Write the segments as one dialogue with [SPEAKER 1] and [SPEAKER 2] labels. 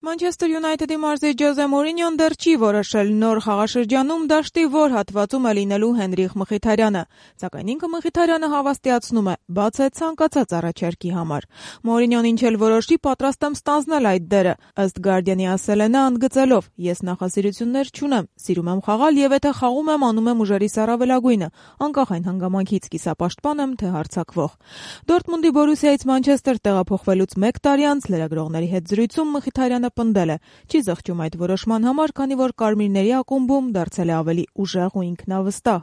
[SPEAKER 1] Manchester United-ի մարզիչ Ջոզե Մորինյոն դեռ չի որոշել նոր խաղաշրջանում դաշտի որ հատվածում է լինելու Հենրիխ Մխիթարյանը, սակայն ինքը Մխիթարյանը հավաստիացնում է, բաց է ցանկացած առաջարկի համար։ Մորինյոն ինչ էլ որոշի, պատրաստ եմ ստանձնել այդ դերը, ըստ Guardian-ի ասել է նա ընդգծելով. «Ես նախասիրություններ չունեմ, սիրում եմ խաղալ եւ եթե խաղում եմ, անում եմ ուժերիս առավելագույնը, անկախ այն հանգամանքից կիսապաշտպան եմ, թե հարձակվող»։ Դորտմունդի Բորուսիայից Մանչեսթեր տեղափոխվելուց 1 տարի անց լրագրողների հետ զրույցում Մխիթարյանը պնդել է. «Չի զղջում այդ որոշման համար, քանի որ կարմիրների ակումբում դարձել է ավելի ուժեղ ու ինքնավստահ»։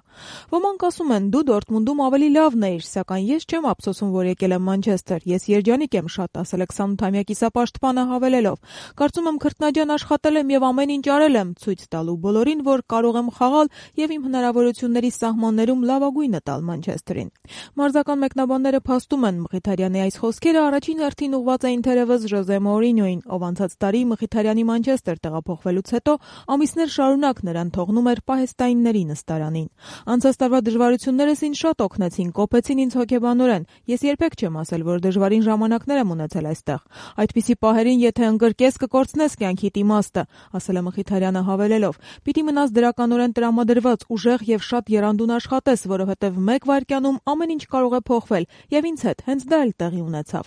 [SPEAKER 1] Ոմանք ասում են՝ դու Դորտմունդում ավելի լավն էիր, սակայն ես չեմ ափսոսում, որ եկել եմ Մանչեսթեր, ես երջանիկ եմ շատ, ասել է 28-ամյա կիսապաշտպանը հավելելով. «Կարծում եմ քրտնաջան աշխատել եմ եւ ամեն ինչ արել եմ, ցույց տալու բոլորին, որ կարող եմ խաղալ եւ իմ հնարավորությունների սահմաններում լավագույնը տալ Մանչեսթերին»։ Մարզական մեկնաբանները փաստում են, Մխիթարյանի այս խոսքերը առաջին հերթին ուղղված էին թերևս Ջոզե Մորինյոին, ով անցած տարի Մխիթարյանի Մանչեսթեր տեղափոխվելուց հետո ամիսներ շարունակ նրան թողնում էր պահեստայինների նստարանին։ «Անցած տարվա դժվարություններս ինձ շատ օգնեցին, կոփեցին ինձ հոգեբանորեն։ Ես երբեք չեմ ասել, որ դժվարին ժամանակներ եմ ունեցել այստեղ։ Այդպիսի պահերին, եթե ընկրկես, կկորցնես կյանքիդ իմաստը», ասել է Մխիթարյանը հավելելով. «Պիտի մնաս դրականորեն տրամադրված, ուժեղ եւ շատ եռանդուն աշխատես, որովհետեւ 1 վայրկյանում ամեն ինչ կարող է փոխվել եւ ինձ հետ հենց դա էլ տեղի ունեցավ»։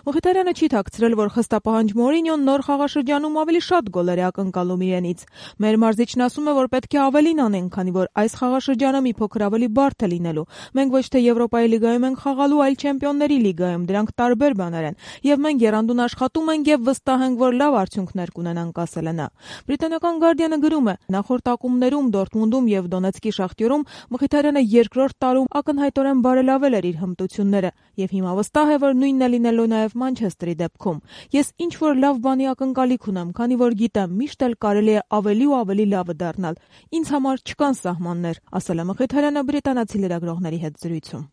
[SPEAKER 1] Մխիթարյանը չի թաքցրել, որ խստապահանջ Մորինյոն նոր խաղաշրջանում ավելի շատ գոլեր է ակնկալում իրենից։ «Մեր մարզիչն ասում է, որ պետք է ավելին անենք, քանի որ այս խաղաշրջանը մի փոքր ավելի բարդ է լինելու։ Մենք ոչ թե Եվրոպայի լիգայում ենք խաղալու, այլ Չեմպիոնների լիգայում, դրանք տարբեր բաներ են, եւ մենք եռանդուն աշխատում ենք եւ վստահ ենք, որ լավ արդյունքներ կունենանք», ասել է նա։ Բրիտանական Guardian-ը գրում է. «Նախորդ ակումբներում Դորտմունդում եւ Դոնեցկի Շախտյորում Մխիթարյանը երկրորդ տարում ակնհայտորեն բարելավել էր իր հմտությունները եւ հիմա վստահ է, որ նույնն է լինելու նաեւ Մանչեսթերի դեպքում։ Ես ինչ որ լավ բանի ակնկալիք ունեմ, քանի որ գիտեմ, միշտ էլ կարելի է ավելի ու ավելի լավը դառնալ։ Ինձ համար չկան սահմաններ», ասել է Մխիթարյանը բրիտանացի լրագրողների հետ զրույցում։